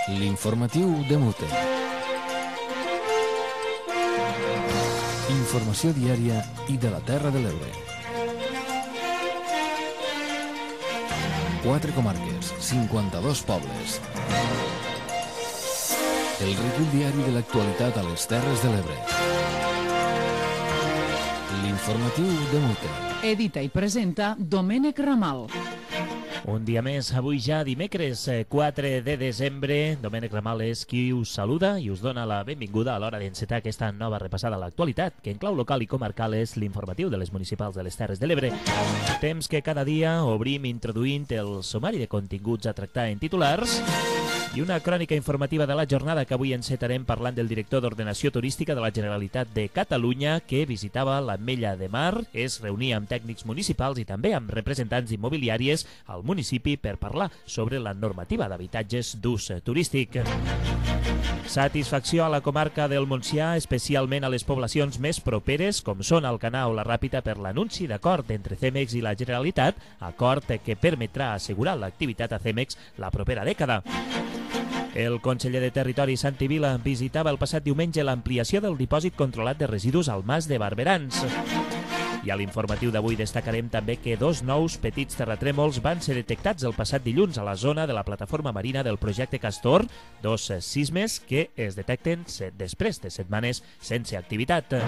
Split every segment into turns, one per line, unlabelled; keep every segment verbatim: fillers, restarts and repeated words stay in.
L'informatiu de Mute. Informació diària i de la Terra de l'Ebre. Quatre comarques, cinquanta-dos pobles. El recull diari de l'actualitat a les Terres de l'Ebre. L'informatiu de Mute.
Edita i presenta Domènec Ramal.
Un dia més, avui ja dimecres quatre de desembre. Domènec Ramal és qui us saluda i us dona la benvinguda a l'hora d'encetar aquesta nova repassada a l'actualitat, que en clau local i comarcal és l'informatiu de les municipals de les Terres de l'Ebre. Temps que cada dia obrim introduint el sumari de continguts a tractar en titulars i una crònica informativa de la jornada que avui encetarem parlant del director d'Ordenació Turística de la Generalitat de Catalunya, que visitava l'Ametlla de Mar, es reunia amb tècnics municipals i també amb representants immobiliàries al municipi per parlar sobre la normativa d'habitatges d'ús turístic. Satisfacció a la comarca del Montsià, especialment a les poblacions més properes, com són Alcanar o la Ràpita, per l'anunci d'acord entre Cemex i la Generalitat, acord que permetrà assegurar l'activitat a Cemex la propera dècada. El conseller de Territori, Santi Vila, visitava el passat diumenge l'ampliació del dipòsit controlat de residus al Mas de Barberans. I a l'informatiu d'avui destacarem també que dos nous petits terratrèmols van ser detectats el passat dilluns a la zona de la plataforma marina del projecte Castor, dos sismes que es detecten després de setmanes sense activitat.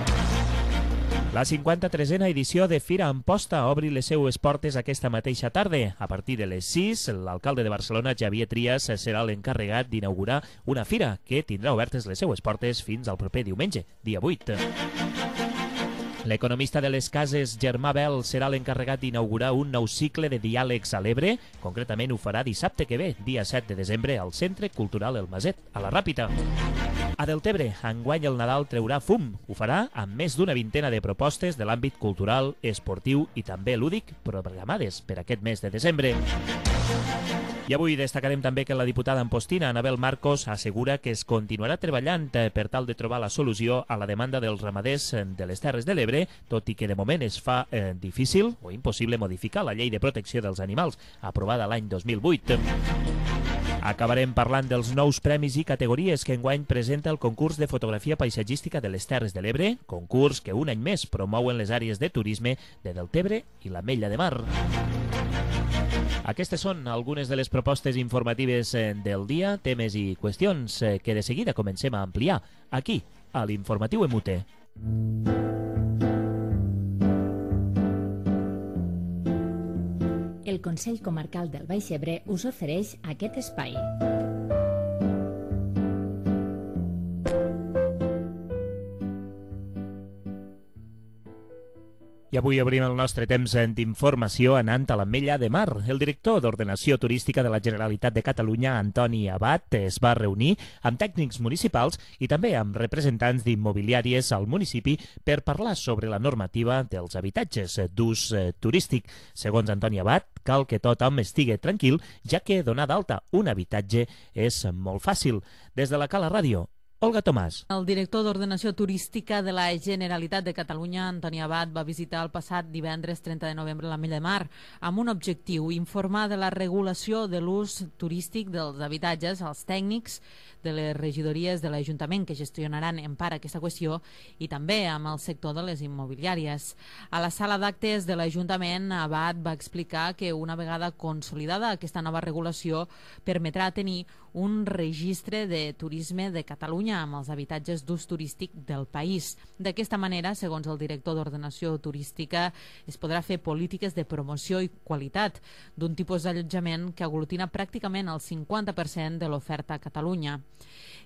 La cinquanta-tresena edició de Fira Amposta obri les seues portes aquesta mateixa tarda. A partir de les sis, l'alcalde de Barcelona, Xavier Trias, serà l'encarregat d'inaugurar una fira que tindrà obertes les seues portes fins al proper diumenge, dia vuit. L'economista de les cases, Germà Bel, serà l'encarregat d'inaugurar un nou cicle de diàlegs a l'Ebre. Concretament ho farà dissabte que ve, dia set de desembre, al Centre Cultural El Maset, a la Ràpita. A Deltebre, enguany el Nadal treurà fum. Ho farà amb més d'una vintena de propostes de l'àmbit cultural, esportiu i també lúdic programades per aquest mes de desembre. I avui destacarem també que la diputada ampostina, Anabel Marcos, assegura que es continuarà treballant per tal de trobar la solució a la demanda dels ramaders de les Terres de l'Ebre, tot i que de moment es fa eh, difícil o impossible modificar la llei de protecció dels animals, aprovada l'any dos mil vuit. Acabarem parlant dels nous premis i categories que enguany presenta el concurs de fotografia paisatgística de les Terres de l'Ebre, concurs que un any més promouen les àrees de turisme de Deltebre i l'Ametlla de Mar. Aquestes són algunes de les propostes informatives del dia, temes i qüestions que de seguida comencem a ampliar aquí, a l'Informatiu E M U T E.
El Consell Comarcal del Baix Ebre us ofereix aquest espai.
I avui obrim el nostre temps d'informació anant a l'Ametlla de Mar. El director d'Ordenació Turística de la Generalitat de Catalunya, Antoni Abad, es va reunir amb tècnics municipals i també amb representants d'immobiliàries al municipi per parlar sobre la normativa dels habitatges d'ús turístic. Segons Antoni Abad, cal que tothom estigui tranquil, ja que donar d'alta un habitatge és molt fàcil. Des de la Cala Ràdio, Olga Tomàs.
El director d'Ordenació Turística de la Generalitat de Catalunya, Antoni Abad, va visitar el passat divendres trenta de novembre l'Ametlla de Mar amb un objectiu: informar de la regulació de l'ús turístic dels habitatges als tècnics de les regidories de l'Ajuntament que gestionaran en part aquesta qüestió i també amb el sector de les immobiliàries. A la sala d'actes de l'Ajuntament, Abad va explicar que una vegada consolidada aquesta nova regulació permetrà tenir un registre de turisme de Catalunya amb els habitatges d'ús turístic del país. D'aquesta manera, segons el director d'Ordenació Turística, es podrà fer polítiques de promoció i qualitat d'un tipus d'allotjament que aglutina pràcticament el cinquanta per cent de l'oferta a Catalunya.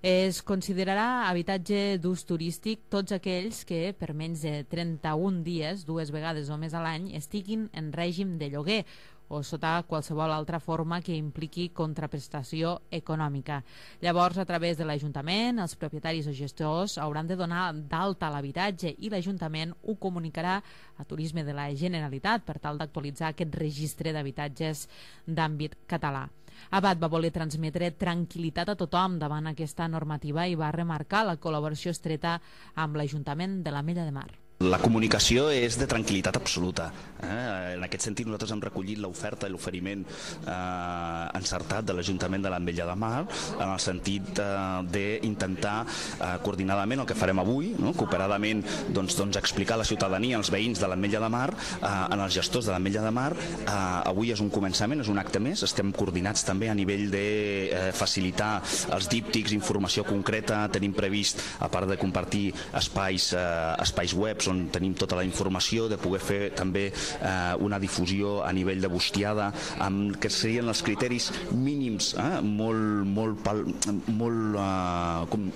Es considerarà habitatge d'ús turístic tots aquells que per menys de trenta-un dies, dues vegades o més a l'any, estiguin en règim de lloguer o sota qualsevol altra forma que impliqui contraprestació econòmica. Llavors, a través de l'Ajuntament, els propietaris o gestors hauran de donar d'alta l'habitatge i l'Ajuntament ho comunicarà a Turisme de la Generalitat per tal d'actualitzar aquest registre d'habitatges d'àmbit català. Abad va voler transmetre tranquil·litat a tothom davant aquesta normativa i va remarcar la col·laboració estreta amb l'Ajuntament de l'Ametlla de Mar.
La comunicació és de tranquil·litat absoluta. Eh? En aquest sentit, nosaltres hem recollit l'oferta i l'oferiment eh, encertat de l'Ajuntament de l'Ametlla de Mar en el sentit eh, d'intentar eh, coordinadament el que farem avui, no? Cooperadament doncs, doncs, explicar a la ciutadania, als veïns de l'Ametlla de Mar, eh, en els gestors de l'Ametlla de Mar. Eh, avui és un començament, és un acte més. Estem coordinats també a nivell de eh, facilitar els díptics, informació concreta. Tenim previst, a part de compartir espais, eh, espais webs on tenim tota la informació, de poder fer també eh, una difusió a nivell de bustiada amb que serien els criteris mínims, eh, molt, molt, pal, molt, eh, com,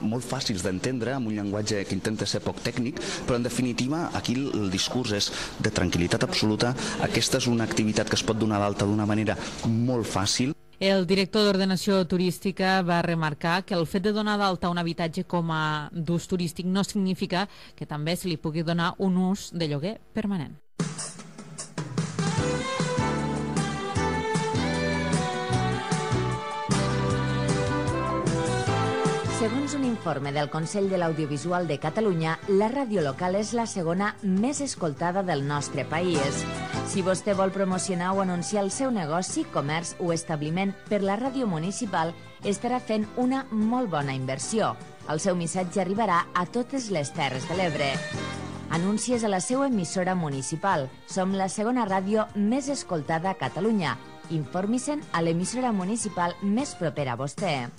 molt fàcils d'entendre, amb un llenguatge que intenta ser poc tècnic, però en definitiva aquí el discurs és de tranquil·litat absoluta. Aquesta és una activitat que es pot donar d'alta d'una manera molt fàcil.
El director d'Ordenació Turística va remarcar que el fet de donar d'alta un habitatge com a d'ús turístic no significa que també se li pugui donar un ús de lloguer permanent.
Segons un informe del Consell de l'Audiovisual de Catalunya, la ràdio local és la segona més escoltada del nostre país. Si vostè vol promocionar o anunciar el seu negoci, comerç o establiment per la ràdio municipal, estarà fent una molt bona inversió. El seu missatge arribarà a totes les Terres de l'Ebre. Anuncies a la seva emissora municipal. Som la segona ràdio més escoltada a Catalunya. Informi-se'n a l'emissora municipal més propera a vostè.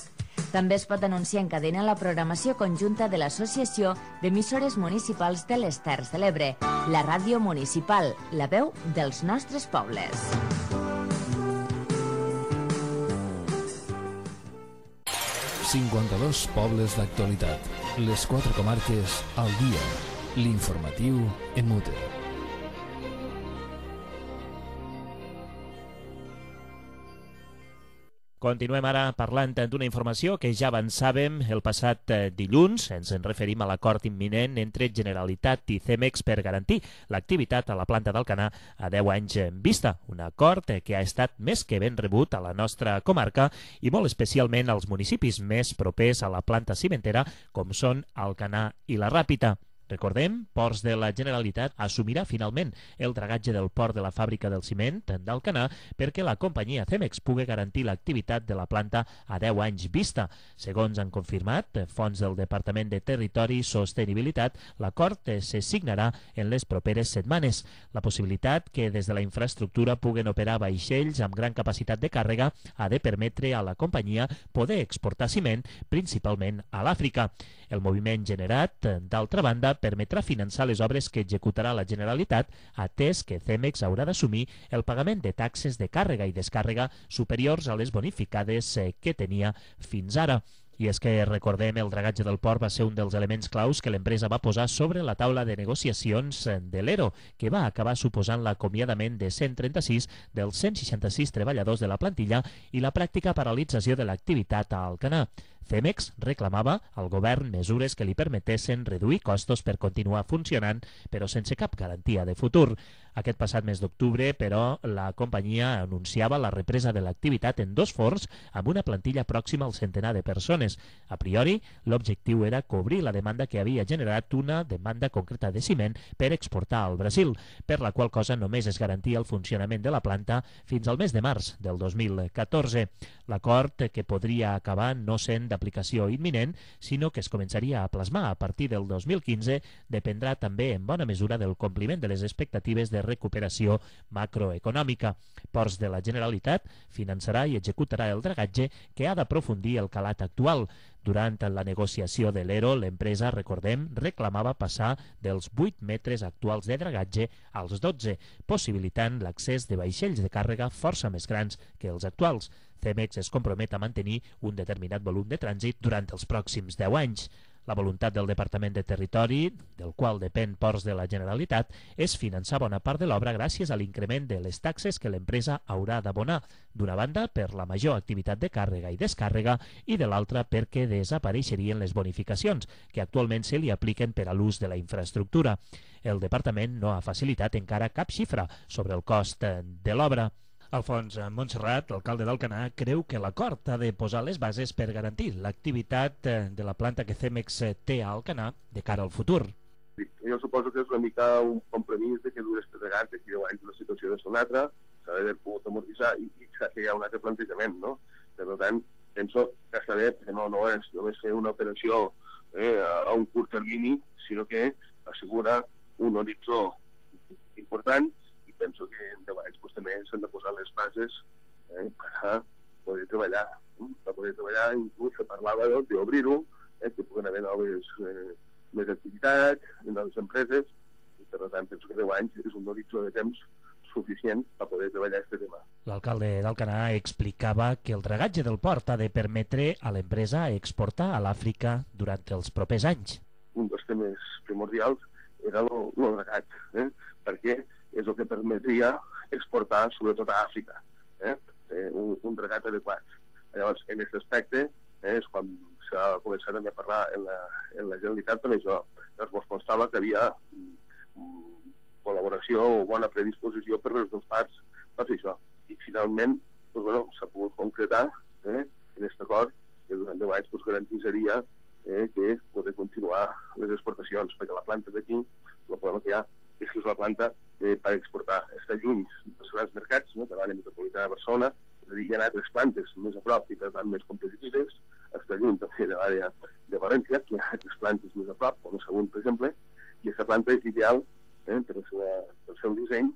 També es pot anunciar en cadena la programació conjunta de l'Associació d'Emissores Municipals de les Terres de l'Ebre, la ràdio municipal, la veu dels nostres pobles.
cinquanta-dos pobles d'actualitat. Les quatre comarques al dia. L'informatiu en mute.
Continuem ara parlant d'una informació que ja avançàvem el passat dilluns. Ens en referim a l'acord imminent entre Generalitat i Cemex per garantir l'activitat a la planta d'Alcanar a deu anys en vista. Un acord que ha estat més que ben rebut a la nostra comarca i molt especialment als municipis més propers a la planta cimentera com són Alcanar i la Ràpita. Recordem, Ports de la Generalitat assumirà finalment el dragatge del port de la fàbrica del ciment d'Alcanar perquè la companyia Cemex pugui garantir l'activitat de la planta a deu anys vista. Segons han confirmat fonts del Departament de Territori i Sostenibilitat, l'acord se signarà en les properes setmanes. La possibilitat que des de la infraestructura puguen operar vaixells amb gran capacitat de càrrega ha de permetre a la companyia poder exportar ciment principalment a l'Àfrica. El moviment generat, d'altra banda, permetrà finançar les obres que executarà la Generalitat, atès que Cemex haurà d'assumir el pagament de taxes de càrrega i descàrrega superiors a les bonificades que tenia fins ara. I és que, recordem, el dragatge del port va ser un dels elements claus que l'empresa va posar sobre la taula de negociacions de l'E R O, que va acabar suposant l'acomiadament de cent trenta-sis dels cent seixanta-sis treballadors de la plantilla i la pràctica paralització de l'activitat a Alcanar. Cemex reclamava al govern mesures que li permetessin reduir costos per continuar funcionant, però sense cap garantia de futur. Aquest passat mes d'octubre, però, la companyia anunciava la represa de l'activitat en dos forns amb una plantilla pròxima al centenar de persones. A priori, l'objectiu era cobrir la demanda que havia generat una demanda concreta de ciment per exportar al Brasil, per la qual cosa només es garantia el funcionament de la planta fins al mes de març del dos mil catorze. L'acord, que podria acabar no sent d'aplicació imminent, sinó que es començaria a plasmar a partir del dos mil quinze, dependrà també en bona mesura del compliment de les expectatives de recuperació macroeconòmica. Ports de la Generalitat finançarà i executarà el dragatge que ha d'aprofundir el calat actual. Durant la negociació de l'E R O, l'empresa, recordem, reclamava passar dels vuit metres actuals de dragatge als dotze, possibilitant l'accés de vaixells de càrrega força més grans que els actuals. Cemex es compromet a mantenir un determinat volum de trànsit durant els pròxims deu anys. La voluntat del Departament de Territori, del qual depèn Ports de la Generalitat, és finançar bona part de l'obra gràcies a l'increment de les taxes que l'empresa haurà d'abonar, d'una banda per la major activitat de càrrega i descàrrega i de l'altra perquè desapareixerien les bonificacions que actualment se li apliquen per a l'ús de la infraestructura. El Departament no ha facilitat encara cap xifra sobre el cost de l'obra. Alfons Montserrat, alcalde d'Alcanar, creu que l'acord ha de posar les bases per garantir l'activitat de la planta que Cemex té a Alcanar de cara al futur.
Jo suposo que és una mica un compromís de que dures tres vegades d'aquí deu anys la situació de una altra, s'ha d'haver pogut amortitzar i, i s'ha de fer ja un altre plantejament, no? Per tant, penso que està bé, perquè no, no és només fer una operació eh, a un curt termini, sinó que assegura un horitzó important i penso que en deu anys pues, també s'han de posar les bases eh, per poder treballar, eh? per poder treballar, inclús se parlava d'obrir-ho, eh, que puguen haver noves, eh, més activitats en noves empreses, i per tant penso que deu anys és un horitzó de temps suficient per poder treballar aquest tema.
L'alcalde d'Alcanar explicava que el dragatge del port ha de permetre a l'empresa exportar a l'Àfrica durant els propers anys.
Un dels temes primordials era el dragat, eh? perquè és el que permetria exportar sobretot a Àfrica, eh? Eh, un, un dragat adequat. Llavors, en aquest aspecte, eh, és quan s'ha començat a parlar en la, en la Generalitat per això. Llavors, es constava que havia mm, col·laboració o bona predisposició per les dues parts per fer això. I finalment doncs, bueno, s'ha pogut concretar eh, en aquest acord que durant deu anys doncs, garantitzaria eh, que poder continuar les exportacions, perquè la planta d'aquí, el problema que hi ha és que és la planta eh, per exportar. Està lluny dels grans mercats, no? De l'àrea metropolitana de Barcelona, és a dir, hi ha altres plantes més a prop i per tant més competitives, està lluny també de l'àrea de València, que hi ha altres plantes més a prop, com a Sagunt, per exemple, i aquesta planta és ideal eh, per el seu, per el seu disseny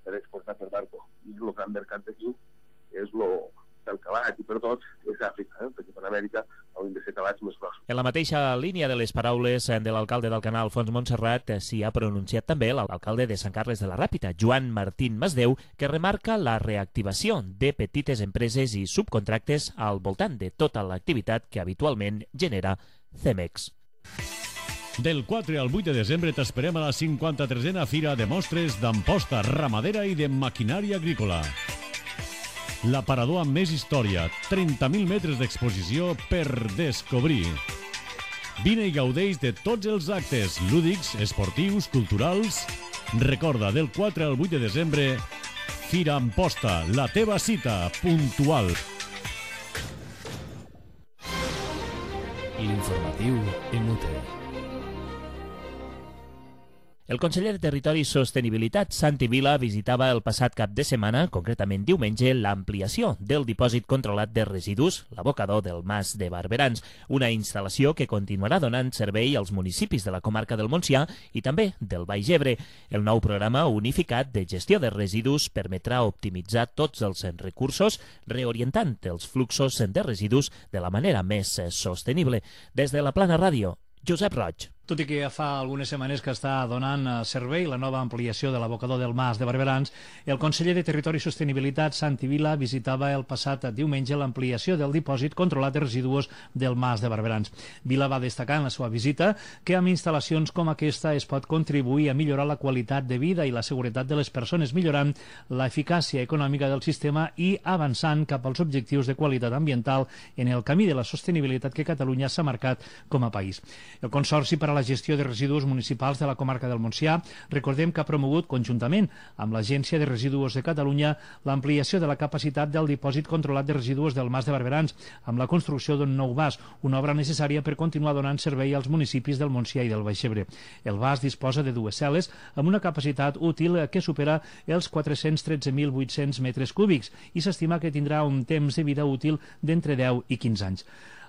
per exportar per barco. I el gran mercat d'aquí és el del calat i per tot és Àfrica, eh, perquè per Amèrica haurien de ser calats més grossos.
En la mateixa línia de les paraules de l'alcalde d'Alcanar, Alfons Montserrat, s'hi ha pronunciat també l'alcalde de Sant Carles de la Ràpita, Joan Martín Masdeu, que remarca la reactivació de petites empreses i subcontractes al voltant de tota l'activitat que habitualment genera Cemex.
Del quatre al vuit de desembre t'esperem a la cinquanta-tresena Fira de Mostres d'Amposta Ramadera i de Maquinària Agrícola. L'aparador amb més història, trenta mil metres d'exposició per descobrir. Vine i gaudeix de tots els actes lúdics, esportius, culturals. Recorda, del quatre al vuit de desembre, Fira Amposta, la teva cita puntual.
L'informatiu en U T E.
El conseller de Territori i Sostenibilitat, Santi Vila, visitava el passat cap de setmana, concretament diumenge, l'ampliació del dipòsit controlat de residus, l'abocador del Mas de Barberans, una instal·lació que continuarà donant servei als municipis de la comarca del Montsià i també del Baix Ebre. El nou programa unificat de gestió de residus permetrà optimitzar tots els recursos, reorientant els fluxos de residus de la manera més sostenible. Des de la Plana Ràdio, Josep Roig.
Tot i que ja fa algunes setmanes que està donant servei la nova ampliació de l'abocador del Mas de Barberans, el conseller de Territori i Sostenibilitat, Santi Vila, visitava el passat diumenge l'ampliació del dipòsit controlat de residus del Mas de Barberans. Vila va destacar en la seva visita que amb instal·lacions com aquesta es pot contribuir a millorar la qualitat de vida i la seguretat de les persones, millorant l'eficàcia econòmica del sistema i avançant cap als objectius de qualitat ambiental en el camí de la sostenibilitat que Catalunya s'ha marcat com a país. El Consorci per a la gestió de residus municipals de la comarca del Montsià, recordem que ha promogut conjuntament amb l'Agència de Residus de Catalunya l'ampliació de la capacitat del dipòsit controlat de residus del Mas de Barberans amb la construcció d'un nou vas, una obra necessària per continuar donant servei als municipis del Montsià i del Baix Ebre. El vas disposa de dues cel·les amb una capacitat útil que supera els quatre-cents tretze mil vuit-cents metres cúbics i s'estima que tindrà un temps de vida útil d'entre deu i quinze anys.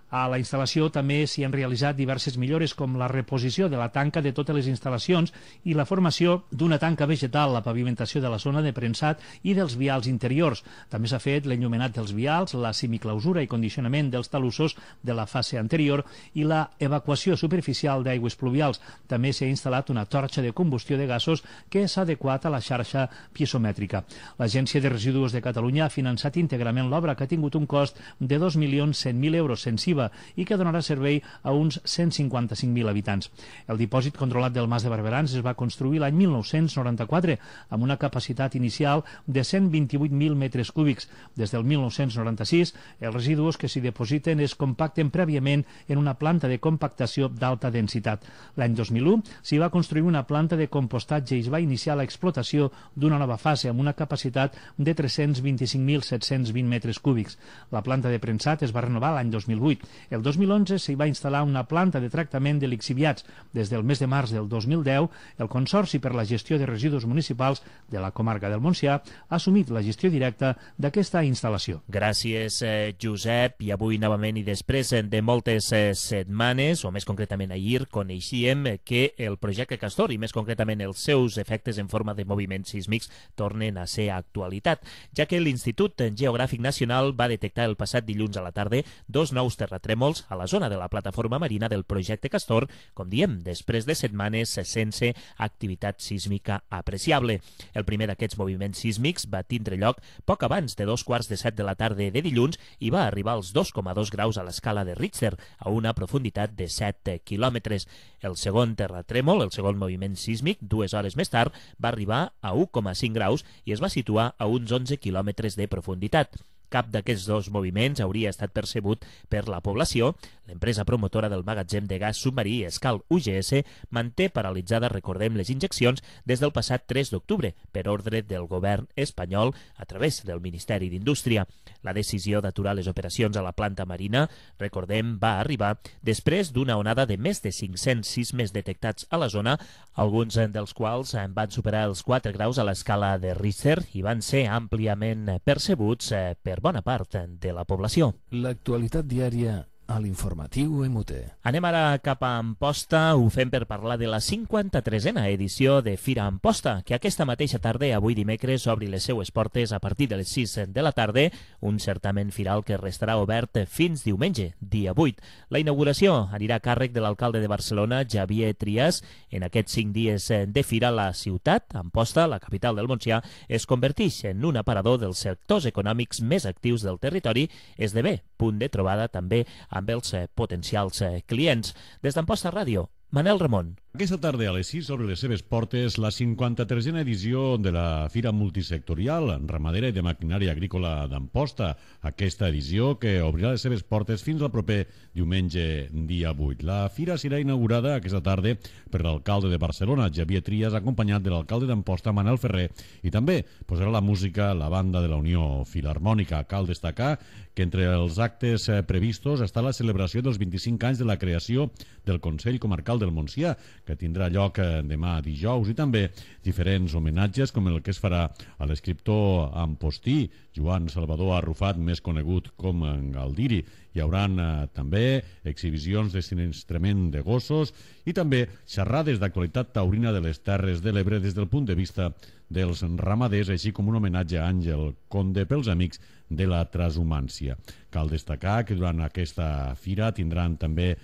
A la instal·lació també s'hi han realitzat diverses millores com la reposició de la tanca de totes les instal·lacions i la formació d'una tanca vegetal, la pavimentació de la zona de premsat i dels vials interiors. També s'ha fet l'enllumenat dels vials, la semiclausura i condicionament dels talussos de la fase anterior i la evacuació superficial d'aigües pluvials. També s'ha instal·lat una torxa de combustió de gasos que s'ha adequat a la xarxa piezomètrica. L'Agència de Residus de Catalunya ha finançat íntegrament l'obra, que ha tingut un cost de dos milions cent mil euros sense I V A i que donarà servei a uns cent cinquanta-cinc mil habitants. El dipòsit controlat del Mas de Barberans es va construir l'any mil nou-cents noranta-quatre amb una capacitat inicial de cent vint-i-vuit mil metres cúbics. Des del mil nou-cents noranta-sis, els residus que s'hi depositen es compacten prèviament en una planta de compactació d'alta densitat. L'any dos mil u s'hi va construir una planta de compostatge i es va iniciar l'explotació d'una nova fase amb una capacitat de tres-cents vint-i-cinc mil set-cents vint metres cúbics. La planta de premsat es va renovar l'any dos mil vuit. El dos mil onze s'hi va instal·lar una planta de tractament de lixiviats. Des del mes de març del dos mil deu, el Consorci per la Gestió de Residus Municipals de la comarca del Montsià ha assumit la gestió directa d'aquesta instal·lació.
Gràcies, eh, Josep. I avui, novament i després de moltes eh, setmanes, o més concretament ahir, coneixíem que el projecte Castor, i més concretament els seus efectes en forma de moviments sísmics, tornen a ser actualitat, ja que l'Institut Geogràfic Nacional va detectar el passat dilluns a la tarda dos nous terratrèmols a la zona de la plataforma marina del projecte Castor, com diem, després de setmanes sense activitat sísmica apreciable. El primer d'aquests moviments sísmics va tindre lloc poc abans de dos quarts de set de la tarda de dilluns i va arribar als dos coma dos graus a l'escala de Richter, a una profunditat de set quilòmetres. El segon terratrèmol, el segon moviment sísmic, dues hores més tard, va arribar a u coma cinc graus i es va situar a uns onze quilòmetres de profunditat. Cap d'aquests dos moviments hauria estat percebut per la població. L'empresa promotora del magatzem de gas submarí Escal U G S manté paralitzada, recordem, les injeccions des del passat tres d'octubre per ordre del govern espanyol a través del Ministeri d'Indústria. La decisió d'aturar les operacions a la planta marina, recordem, va arribar després d'una onada de més de cinc-cents sismes detectats a la zona, alguns dels quals van superar els quatre graus a l'escala de Richter i van ser àmpliament percebuts per bona part de la població.
L'actualitat diària a l'informatiu M T.
Anem ara cap a Amposta, ho fem per parlar de la cinquanta-tresena edició de Fira Amposta, que aquesta mateixa tarda, avui dimecres, obri les seues portes a partir de les sis de la tarda, un certament firal que restarà obert fins diumenge, dia vuit. La inauguració anirà a càrrec de l'alcalde de Barcelona, Xavier Trias. En aquests cinc dies de fira, la ciutat, Amposta, la capital del Montsià, es converteix en un aparador dels sectors econòmics més actius del territori, esdevé punt de trobada també amb els eh, potencials eh, clients. Des d'Amposta Ràdio, Manel Ramon.
Aquesta tarda a les sis obre les seves portes la cinquanta-tresena edició de la Fira Multisectorial Ramadera i de Maquinària Agrícola d'Amposta. Aquesta edició que obrirà les seves portes fins al proper diumenge, dia vuit. La fira serà inaugurada aquesta tarda per l'alcalde de Barcelona, Xavier Trias, acompanyat de l'alcalde d'Amposta, Manel Ferrer, i també posarà la música la banda de la Unió Filharmònica. Cal destacar que entre els actes previstos està la celebració dels vint-i-cinc anys de la creació del Consell Comarcal del Montsià, que tindrà lloc demà dijous, i també diferents homenatges com el que es farà a l'escriptor ampostí Joan Salvador Arrufat, més conegut com Galdiri. Hi haurà eh, també exhibicions de sinistrament de gossos i també xerrades d'actualitat taurina de les Terres de l'Ebre des del punt de vista dels ramaders, així com un homenatge a Àngel Conde pels amics de la transhumància. Cal destacar que durant aquesta fira tindran també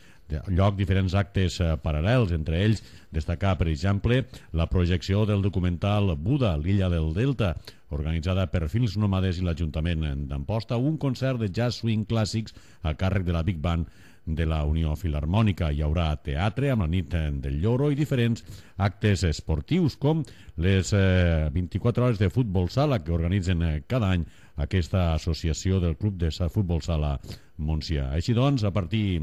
lloc diferents actes eh, paral·lels, entre ells destacar, per exemple, la projecció del documental Buda, l'illa del Delta, organitzada per Films Nòmades i l'Ajuntament d'Amposta, un concert de jazz swing clàssics a càrrec de la Big Band de la Unió Filharmònica. Hi haurà teatre amb la nit del Lloro i diferents actes esportius com les eh, vint-i-quatre hores de futbol sala que organitzen eh, cada any aquesta associació del Club de Futbol Sala Montsià. Així doncs, a partir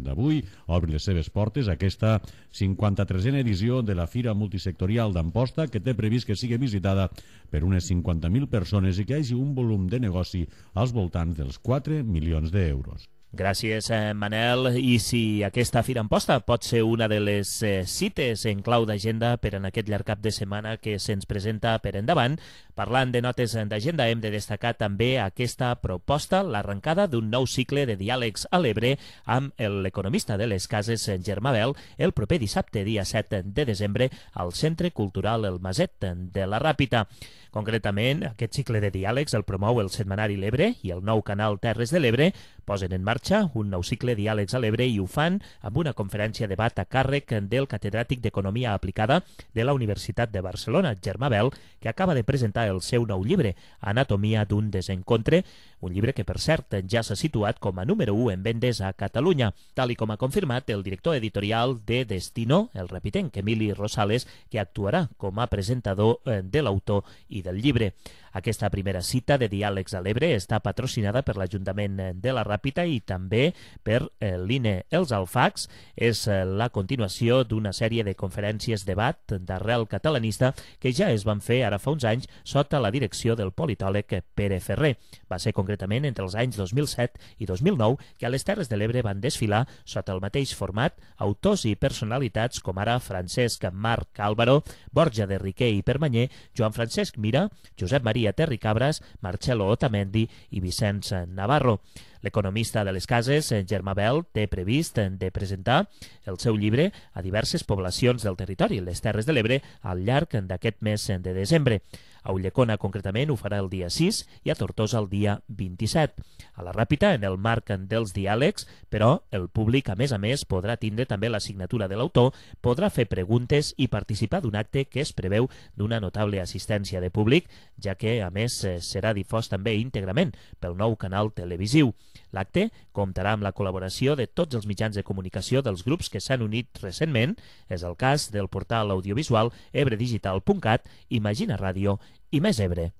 d'avui obri les seves portes aquesta cinquanta-tresena edició de la Fira Multisectorial d'Amposta, que té previst que sigui visitada per unes cinquanta mil persones i que hi hagi un volum de negoci als voltants dels quatre milions d'euros.
Gràcies, eh, Manel. I si aquesta Fira Amposta pot ser una de les eh, cites en clau d'agenda per en aquest llarg cap de setmana que se'ns presenta per endavant, parlant de notes d'agenda, hem de destacar també aquesta proposta, l'arrencada d'un nou cicle de diàlegs a l'Ebre amb l'economista de les cases, Germà Bel, el proper dissabte, dia set de desembre, al Centre Cultural El Maset de la Ràpita. Concretament, aquest cicle de diàlegs el promou el setmanari L'Ebre i el nou canal Terres de l'Ebre posen en marxa un nou cicle diàlegs a l'Ebre i ho fan amb una conferència debat a càrrec del catedràtic d'Economia Aplicada de la Universitat de Barcelona, Germà Bel, que acaba de presentar el seu nou llibre, Anatomia d'un desencontre, un llibre que, per cert, ja s'ha situat com a número u en vendes a Catalunya, tal i com ha confirmat el director editorial de Destino, el repitenc Emili Rosales, que actuarà com a presentador de l'autor i del llibre. Aquesta primera cita de diàlegs a l'Ebre està patrocinada per l'Ajuntament de la Ràpita i també per l'I N E Els Alfacs. És la continuació d'una sèrie de conferències debat d'arrel catalanista que ja es van fer ara fa uns anys sota la direcció del politòleg Pere Ferrer. Va ser concretament concretament entre els anys dos mil set i dos mil nou, que a les Terres de l'Ebre van desfilar sota el mateix format autors i personalitats com ara Francesc Marc Álvaro, Borja de Riquer i Permanyer, Joan Francesc Mira, Josep Maria Terricabras, Marcelo Otamendi i Vicenç Navarro. L'economista de les cases, Germà Bel, té previst de presentar el seu llibre a diverses poblacions del territori, les Terres de l'Ebre, al llarg d'aquest mes de desembre. A Ulldecona, concretament, ho farà el dia sis i a Tortosa el dia vint-i-set. A la Ràpita, en el marc dels diàlegs, però el públic, a més a més, podrà tindre també la signatura de l'autor, podrà fer preguntes i participar d'un acte que es preveu d'una notable assistència de públic, ja que, a més, serà difós també íntegrament pel nou canal televisiu. L'acte comptarà amb la col·laboració de tots els mitjans de comunicació dels grups que s'han unit recentment. És el cas del portal audiovisual ebredigital punt cat, Imagina Ràdio i Més Ebre.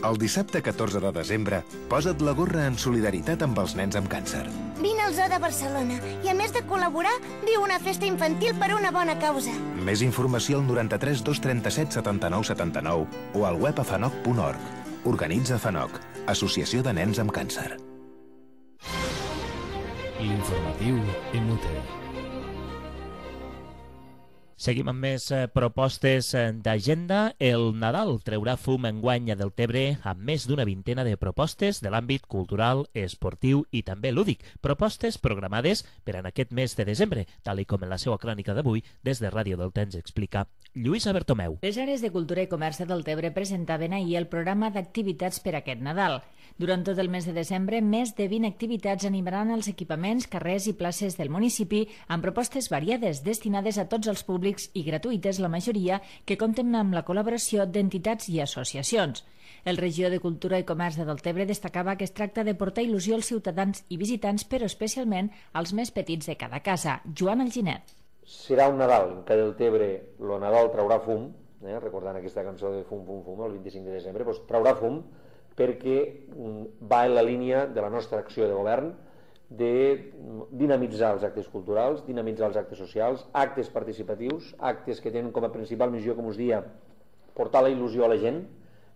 El dissabte catorze de desembre, posa't la gorra en solidaritat amb els nens amb càncer.
Vine al Zoo de Barcelona i, a més de col·laborar, viu una festa infantil per una bona causa.
Més informació al noranta-tres dos trenta-set setanta-nou setanta-nou o al web a fanoc punt org. Organitza FANOC, Associació de Nens amb Càncer.
L'informatiu Inútil.
Seguim amb més eh, propostes eh, d'agenda. El Nadal treurà fum enguany a Deltebre amb més d'una vintena de propostes de l'àmbit cultural, esportiu i també lúdic. Propostes programades per en aquest mes de desembre, tal i com en la seva crònica d'avui, des de Ràdio Delta ens explica Lluïsa Bertomeu.
Les àrees de cultura i comerç de Deltebre presentaven ahir el programa d'activitats per aquest Nadal. Durant tot el mes de desembre, més de vint activitats animaran els equipaments, carrers i places del municipi amb propostes variades destinades a tots els públics i gratuïtes, la majoria, que compten amb la col·laboració d'entitats i associacions. El regidor de Cultura i Comerç de Deltebre destacava que es tracta de portar il·lusió als ciutadans i visitants, però especialment als més petits de cada casa. Joan Alginet.
Serà un Nadal en què Deltebre, el Nadal traurà fum, eh, recordant aquesta cançó de Fum, Fum, Fum, el vint-i-cinc de desembre, doncs traurà fum perquè va en la línia de la nostra acció de govern de dinamitzar els actes culturals, dinamitzar els actes socials, actes participatius, actes que tenen com a principal missió, com us dia, portar la il·lusió a la gent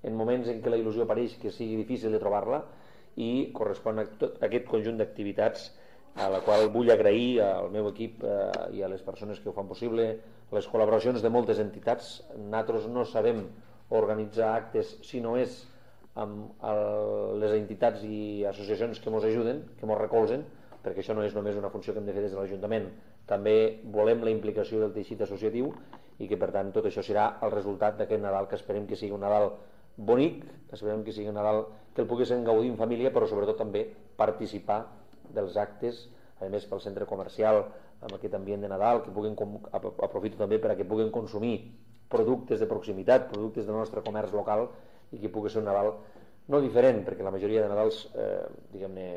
en moments en què la il·lusió pareix que sigui difícil de trobar-la, i correspon a tot aquest conjunt d'activitats a la qual vull agrair al meu equip eh, i a les persones que ho fan possible, les col·laboracions de moltes entitats. Nosaltres no sabem organitzar actes si no és amb el, les entitats i associacions que ens ajuden, que ens recolzen, perquè això no és només una funció que hem de fer des de l'Ajuntament. També volem la implicació del teixit associatiu i que, per tant, tot això serà el resultat d'aquest Nadal, que esperem que sigui un Nadal bonic, que esperem que sigui un Nadal que el poguéssim gaudir en família, però sobretot també participar dels actes, a més pel centre comercial, amb aquest ambient de Nadal, que puguin, aprofito també per a que puguin consumir productes de proximitat, productes del nostre comerç local, i que pugui ser un Nadal no diferent, perquè la majoria de Nadals eh, diguem-ne,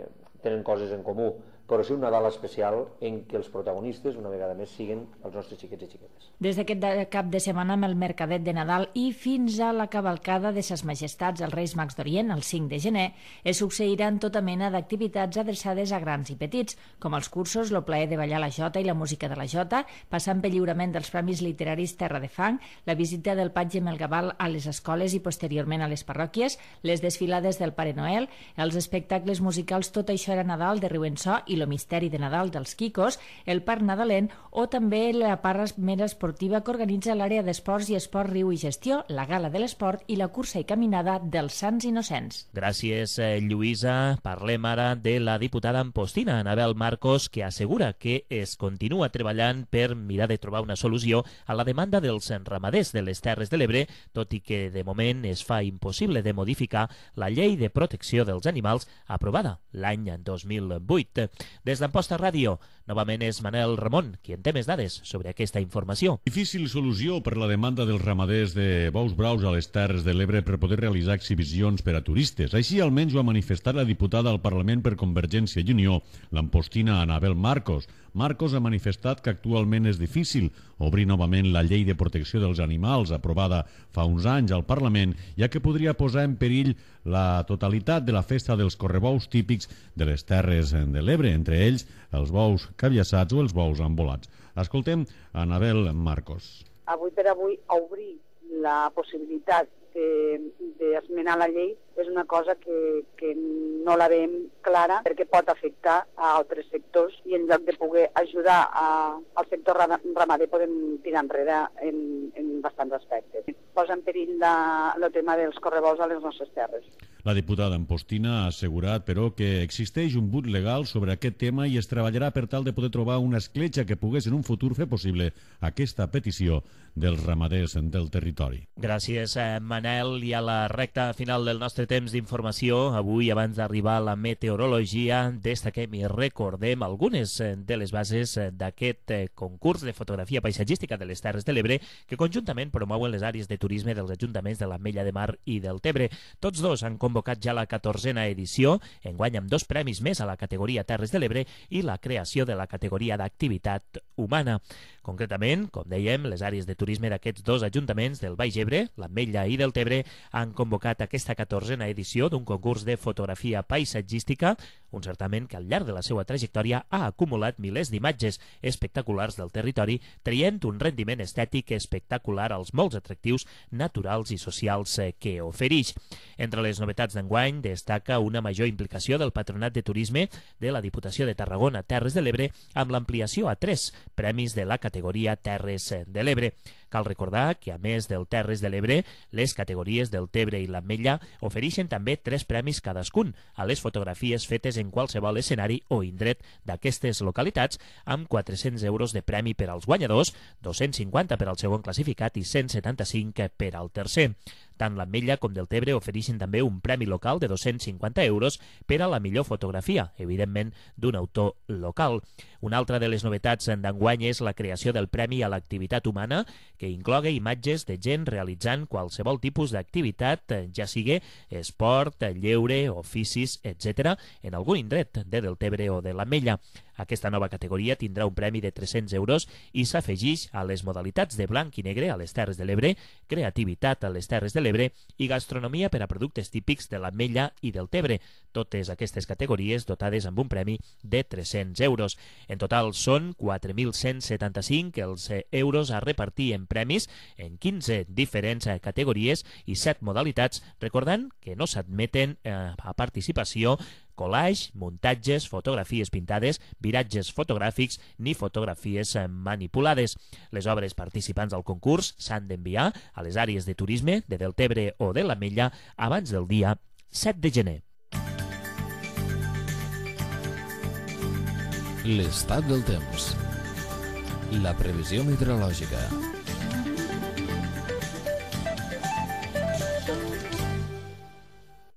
tenen coses en comú, però sí un Nadal especial en què els protagonistes, una vegada més, siguen els nostres xiquets i xiquetes.
Des d'aquest cap de setmana amb el Mercadet de Nadal i fins a la cavalcada de Ses Majestats els Reis Mags d'Orient, el cinc de gener, es succeiran tota mena d'activitats adreçades a grans i petits, com els cursos, el plaer de ballar la jota i la música de la jota, passant pel lliurament dels Premis Literaris Terra de Fang, la visita del Patge Melgaval a les escoles i posteriorment a les parròquies, les desfilades del Pare Noel, els espectacles musicals Tot això era Nadal de Riuençó i lo misteri de Nadal dels Quicos, el Parc Nadalenc o també la part més esportiva que organitza l'àrea d'esports i esport Riu i Gestió, la Gala de l'Esport i la cursa i caminada dels Sants Innocents.
Gràcies, Lluïsa. Parlem ara de la diputada ampostina, Anabel Marcos, que assegura que es continua treballant per mirar de trobar una solució a la demanda dels ramaders de les Terres de l'Ebre, tot i que de moment es fa impossible de modificar la llei de protecció dels animals aprovada l'any dos mil vuit. Des d'Amposta Ràdio, novament és Manel Ramon, qui en té més dades sobre aquesta informació.
Difícil solució per la demanda dels ramaders de bous braus a les Terres de l'Ebre per poder realitzar exhibicions per a turistes. Així almenys ho ha manifestat la diputada al Parlament per Convergència i Unió, l'ampostina Anabel Marcos. Marcos ha manifestat que actualment és difícil obrir novament la llei de protecció dels animals aprovada fa uns anys al Parlament, ja que podria posar en perill la totalitat de la festa dels correbous típics de les Terres de l'Ebre, entre ells els bous cabiassats o els bous embolats. Escoltem Anabel Marcos.
Avui per avui obrir la possibilitat d'esmenar la llei és una cosa que, que no la veiem clara perquè pot afectar a altres sectors i en lloc de poder ajudar a, al sector ramader podem tirar enrere en, en bastants aspectes. Posa en perill la, el tema dels correbous a les nostres terres.
La diputada Ampostina ha assegurat, però, que existeix un but legal sobre aquest tema i es treballarà per tal de poder trobar una escletxa que pogués en un futur fer possible aquesta petició dels ramaders del territori.
Gràcies, Manel. I a la recta final del nostre temps d'informació, avui, abans d'arribar a la meteorologia, destaquem i recordem algunes de les bases d'aquest concurs de fotografia paisatgística de les Terres de l'Ebre que conjuntament promouen les àrees de turisme dels ajuntaments de l'Ametlla de Mar i del Tebre. Tots dos han convocat ja la catorzena edició, enguany amb dos premis més a la categoria Terres de l'Ebre i la creació de la categoria d'activitat humana. Concretament, com dèiem, les àrees de turisme d'aquests dos ajuntaments del Baix Ebre, l'Ametlla i del Tebre, han convocat aquesta catorzena edició d'un concurs de fotografia paisatgística, un certament que al llarg de la seva trajectòria ha acumulat milers d'imatges espectaculars del territori, traient un rendiment estètic espectacular als molts atractius naturals i socials que ofereix. Entre les novetats d'enguany destaca una major implicació del Patronat de Turisme de la Diputació de Tarragona Terres de l'Ebre amb l'ampliació a tres premis de la categoria Terres de l'Ebre. Cal recordar que, a més del Terres de l'Ebre, les categories del Tebre i l'Ametlla ofereixen també tres premis cadascun a les fotografies fetes en qualsevol escenari o indret d'aquestes localitats, amb quatre-cents euros de premi per als guanyadors, dos-cents cinquanta per al segon classificat i cent setanta-cinc per al tercer. Tant l'Ametlla com del Tebre ofereixen també un premi local de dos-cents cinquanta euros per a la millor fotografia, evidentment d'un autor local. Una altra de les novetats d'enguany és la creació del Premi a l'Activitat Humana, que incloga imatges de gent realitzant qualsevol tipus d'activitat, ja sigui esport, lleure, oficis, etcètera, en algun indret de Deltebre o de l'Ametlla. Aquesta nova categoria tindrà un premi de tres-cents euros i s'afegeix a les modalitats de blanc i negre a les Terres de l'Ebre, creativitat a les Terres de l'Ebre i gastronomia per a productes típics de l'Ametlla i del Tebre. Totes aquestes categories dotades amb un premi de tres-cents euros. En total són quatre mil cent setanta-cinc els euros a repartir en premis en quinze diferents categories i set modalitats, recordant que no s'admeten eh, a participació collage, muntatges, fotografies pintades, viratges fotogràfics ni fotografies manipulades. Les obres participants al concurs s'han d'enviar a les àrees de turisme de Deltebre o de l'Ametlla abans del dia set de gener.
L'estat del temps. La previsió meteorològica.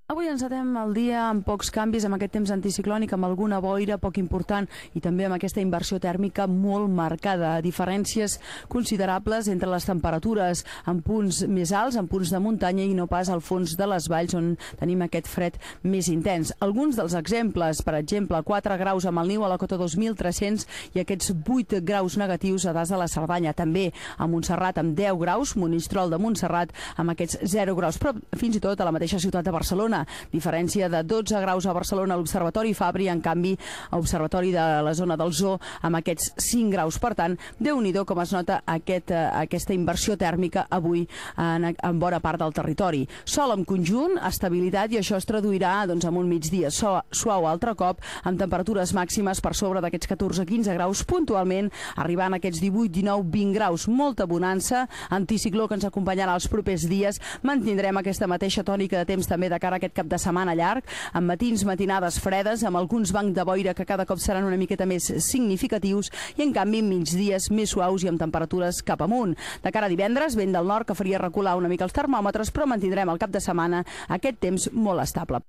Avui encetem el dia amb pocs canvis, amb aquest temps anticiclònic, amb alguna boira poc important i també amb aquesta inversió tèrmica molt marcada. Diferències considerables entre les temperatures en punts més alts, en punts de muntanya i no pas al fons de les valls on tenim aquest fred més intens. Alguns dels exemples, per exemple, quatre graus amb el niu a la cota dos mil tres-cents i aquests vuit graus negatius a Das de la Cerdanya. També a Montserrat amb deu graus, Monistrol de Montserrat amb aquests zero graus, però fins i tot a la mateixa ciutat de Barcelona. Diferència de dotze graus a Barcelona a l'Observatori Fabri, en canvi a l'Observatori de la zona del Zoo amb aquests cinc graus. Per tant, Déu-n'hi-do com es nota aquest, aquesta inversió tèrmica avui en, en bona part del territori. Sol en conjunt, estabilitat, i això es traduirà doncs, en un migdia so, suau altre cop, amb temperatures màximes per sobre d'aquests catorze a quinze graus, puntualment arribant a aquests divuit, dinou, vint graus. Molta bonança, anticicló que ens acompanyarà els propers dies. Mantindrem aquesta mateixa tònica de temps també de cara a aquest cap de setmana llarg, amb matins, matinades fredes, amb alguns bancs de boira que cada cop seran una miqueta més significatius i, en canvi, migdies més suaus i amb temperatures cap amunt. De cara a divendres, vent del nord que faria recular una mica els termòmetres, però mantindrem al cap de setmana aquest temps molt estable.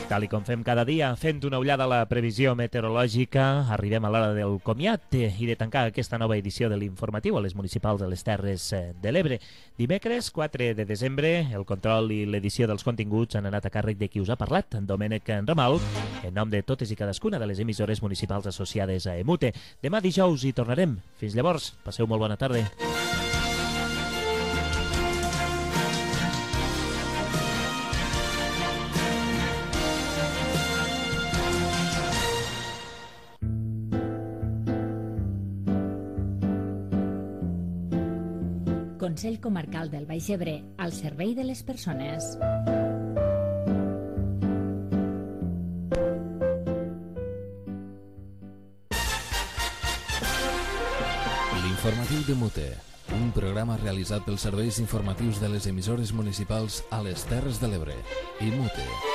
Tal i com fem cada dia, fent una ullada a la previsió meteorològica, arribem a l'hora del comiat i de tancar aquesta nova edició de l'informatiu a les municipals de les Terres de l'Ebre. Dimecres, quatre de desembre, el control i l'edició dels continguts han anat a càrrec de qui us ha parlat, en Domènec Ramal, en nom de totes i cadascuna de les emissores municipals associades a EMUTE. Demà dijous hi tornarem. Fins llavors, passeu molt bona tarda.
Consell Comarcal del Baix Ebre, al servei de les persones.
L'informatiu de Mute, un programa realitzat pels serveis informatius de les emissores municipals a les Terres de l'Ebre. I Mute.